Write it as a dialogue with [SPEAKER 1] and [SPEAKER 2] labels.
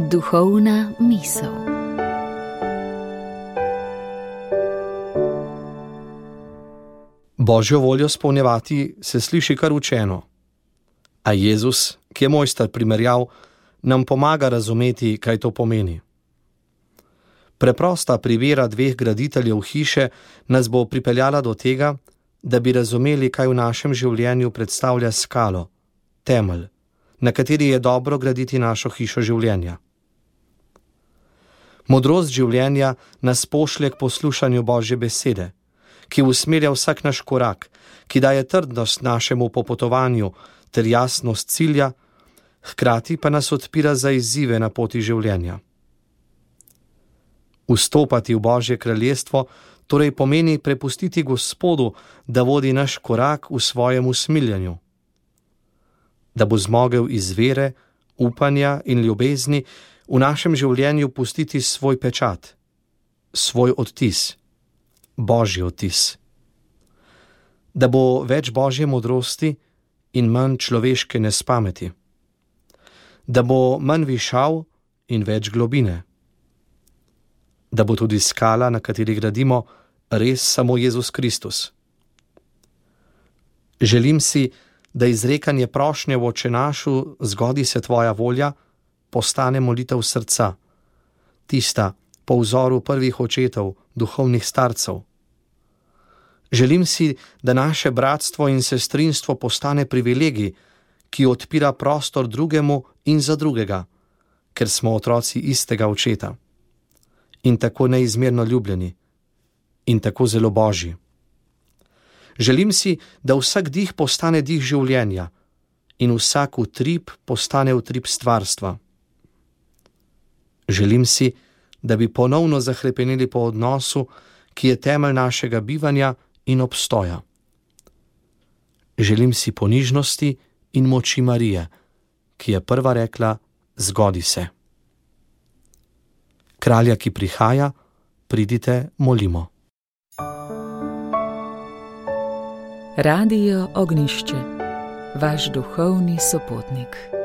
[SPEAKER 1] Duhovna misel.
[SPEAKER 2] Božjo voljo izpolnjevati se sliši kar učeno. A Jezus, ki je mojster primerjav, nam pomaga razumeti, kaj to pomeni. Preprosta privera dveh graditeljev hiše nas bo pripeljala do tega, da bi razumeli, kaj v našem življenju predstavlja skalo, temelj, na kateri je dobro graditi našo hišo življenja. Modrost življenja nas pošlje k poslušanju Božje besede, ki usmerja vsak naš korak, ki daje trdnost našemu popotovanju ter jasnost cilja, hkrati pa nas odpira za izzive na poti življenja. Vstopati v Božje kraljestvo torej pomeni prepustiti Gospodu, da vodi naš korak v svojem usmiljanju, da bo zmogel iz vere, upanja in ljubezni v našem življenju pustiti svoj pečat, svoj odtis, Božji odtis. Da bo več Božje modrosti in manj človeške nespameti. Da bo manj višav in več globine. Da bo tudi skala, na kateri gradimo, res samo Jezus Kristus. Želim si, da izrekanje prošnje v Oče našu, zgodi se tvoja volja, postane molitev srca, tista po vzoru prvih očetov, duhovnih starcev. Želim si, da naše bratstvo in sestrinstvo postane privilegij, ki odpira prostor drugemu in za drugega, ker smo otroci istega očeta. In tako neizmerno ljubljeni, in tako zelo Božji. Želim si, da vsak dih postane dih življenja in vsak utrip postane utrip stvarstva. Želim si, da bi ponovno zahrepeneli po odnosu, ki je temelj našega bivanja in obstoja. Želim si ponižnosti in moči Marije, ki je prva rekla: zgodi se. Kralja, ki prihaja, pridite, molimo.
[SPEAKER 1] Radio Ognjišče, vaš duhovni sopotnik.